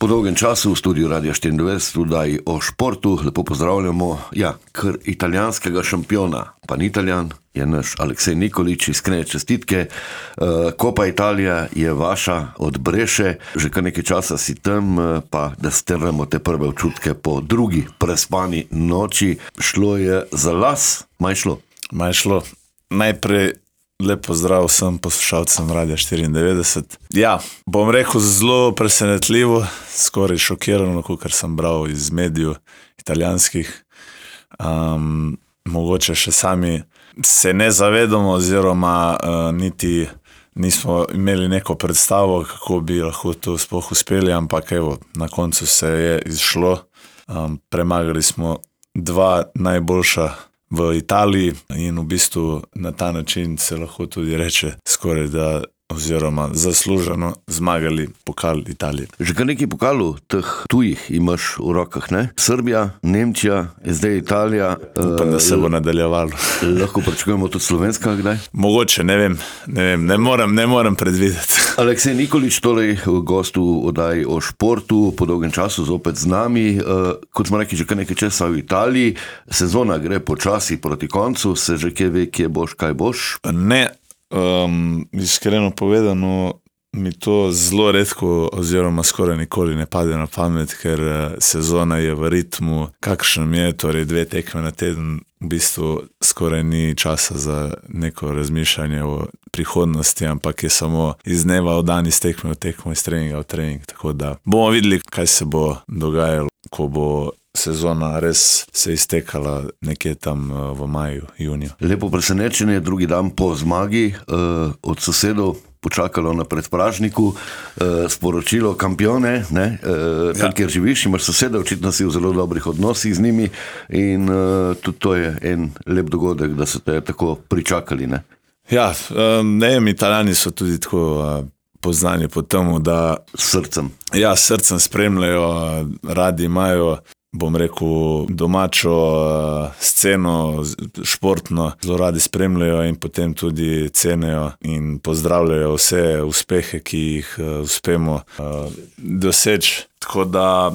Po dolgem času v studiu Radia 24 vdaji o športu lepo pozdravljamo, kar italijanskega šampiona, pa ni Italijan, je naš Aleksej Nikolić, iskrene čestitke. Copa Italija je vaša od Breše, že kar nekaj časa si tam, pa da strnemo te prve občutke po drugi prespani noči. Šlo je za las, maj šlo. Najprej lep pozdrav vsem poslušalcem Radia 94. Bom rekel zelo presenetljivo, skoraj šokirano, kakor sem bral iz medijev italijanskih. Mogoče še sami se ne zavedamo oziroma niti nismo imeli neko predstavo, kako bi lahko to sploh uspeli, ampak evo, na koncu se je izšlo. Premagali smo dva najboljša v Italiji in v bistvu na ta način se lahko tudi reče skoraj da oziroma zasluženo zmagali pokal Italije. Že kar nekaj pokalov teh tujih imaš v rokah, ne? Srbija, Nemčija, zdaj Italija. Upam, da se bo nadaljevalo. Lahko pričakujemo tudi slovenska kdaj? Mogoče, ne vem, ne morem predvideti. Aleksej Nikolić, torej gost v oddaji o športu, po dolgem času zopet z nami. Kot smo rekli, že kar nekaj časa v Italiji, sezona gre počasi proti koncu, se že kje ve, kje boš, kaj boš? Ne. Iskreno povedano, mi to zelo redko oziroma skoraj nikoli ne pade na pamet, ker sezona je v ritmu, kakšnem je, torej 2 tekme na teden, v bistvu skoraj ni časa za neko razmišljanje o prihodnosti, ampak je samo iz dneva v dan, iz tekme v tekmo, iz treninga v trening, tako da bomo videli, kaj se bo dogajalo, ko bo sezona res se iztekala nekje tam v maju, juniju. Lepo presenečenje, drugi dan po zmagi od sosedov počakalo na predpražniku sporočilo kampione, tam, kjer živiš, imaš sosede, očitno si v zelo dobrih odnosih z njimi in tudi to je en lep dogodek, da so te tako pričakali, ne? Italijani so tudi tako poznani po temu, da srcem spremljajo, radi imajo, bom rekel, domačo sceno, športno, zelo radi spremljajo in potem tudi cenijo in pozdravljajo vse uspehe, ki jih uspemo doseči. Tako da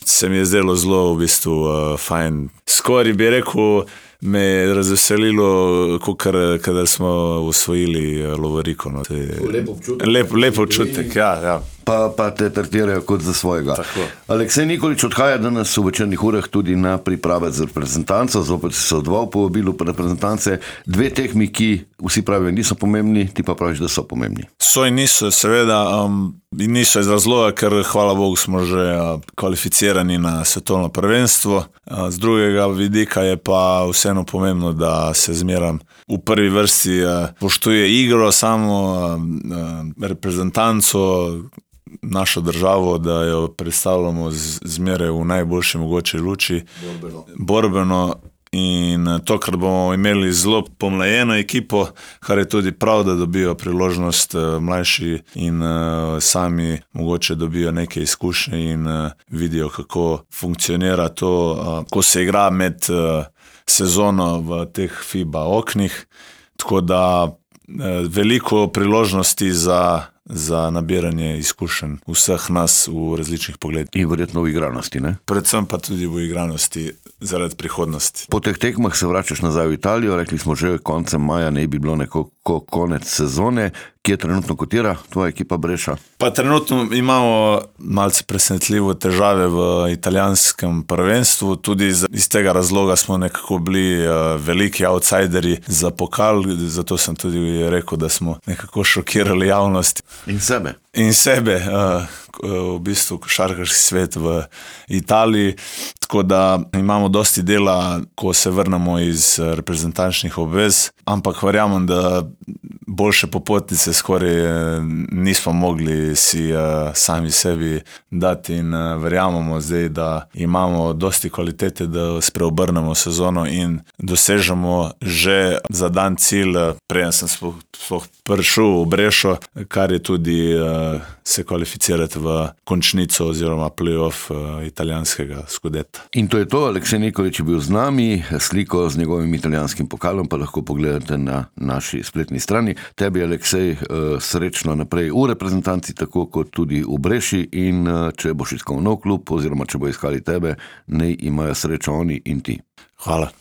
se mi je zdelo zelo v bistvu fajn. Skoraj bi rekel, me je razveselilo, kadar smo osvojili lovoriko. Lep občutek, Pa te tretirajo kot za svojega. Tako. Aleksej Nikolić odhaja danes v večernih urah tudi na priprave za reprezentanco, zopet se odval po vabilu reprezentance. 2 tekmi, ki vsi pravijo niso pomembni, ti pa praviš, da so pomembni. So in niso, seveda, in niso iz razloga, ker hvala Bogu smo že kvalificirani na svetovno prvenstvo. Z drugega vidika je pa vseeno pomembno, da se zmeram v prvi vrsti poštuje igro, samo reprezentanco, našo državo, da jo predstavljamo zmeraj v najboljši mogoče luči. Borbeno. In tokrat bomo imeli zelo pomlajeno ekipo, kar je tudi prav, da dobijo priložnost mlajši in sami mogoče dobijo neke izkušnje in vidijo, kako funkcionira to, ko se igra med sezono v teh FIBA oknih. Tako da veliko priložnosti za nabiranje izkušenj vseh nas v različnih pogledih. In verjetno v igranosti, ne? Predvsem pa tudi v igranosti zaradi prihodnosti. Po teh tekmah se vračaš nazaj v Italijo, rekli smo že koncem maja, ne bi bilo nekako konec sezone. Kje trenutno kotira tvoja ekipa Breša? Pa trenutno imamo malce presenetljivo težave v italijanskem prvenstvu, tudi iz tega razloga smo nekako bili veliki outsideri za pokal, zato sem tudi rekel, da smo nekako šokirali javnost. In sebe, v bistvu košarkarski svet v Italiji, tako da imamo dosti dela, ko se vrnemo iz reprezentančnih obvez, ampak verjamem, da boljše popotnice skoraj nismo mogli si sami sebi dati in verjamemo zdaj, da imamo dosti kvalitete, da spreobrnemo sezono in dosežemo že za dan cilj, preden sem sploh prišel v Brešo, kar je tudi se kvalificirati v končnico oziroma play-off italijanskega skudeta. In to je to, Aleksej Nikolić je bil z nami, sliko z njegovim italijanskim pokalom pa lahko pogledate na naši spletni strani. Tebi, Aleksej, srečno naprej v reprezentanci, tako kot tudi v Breši, in če boš iskal nov klub oziroma če bo iskali tebe, naj imajo srečo oni in ti. Hvala.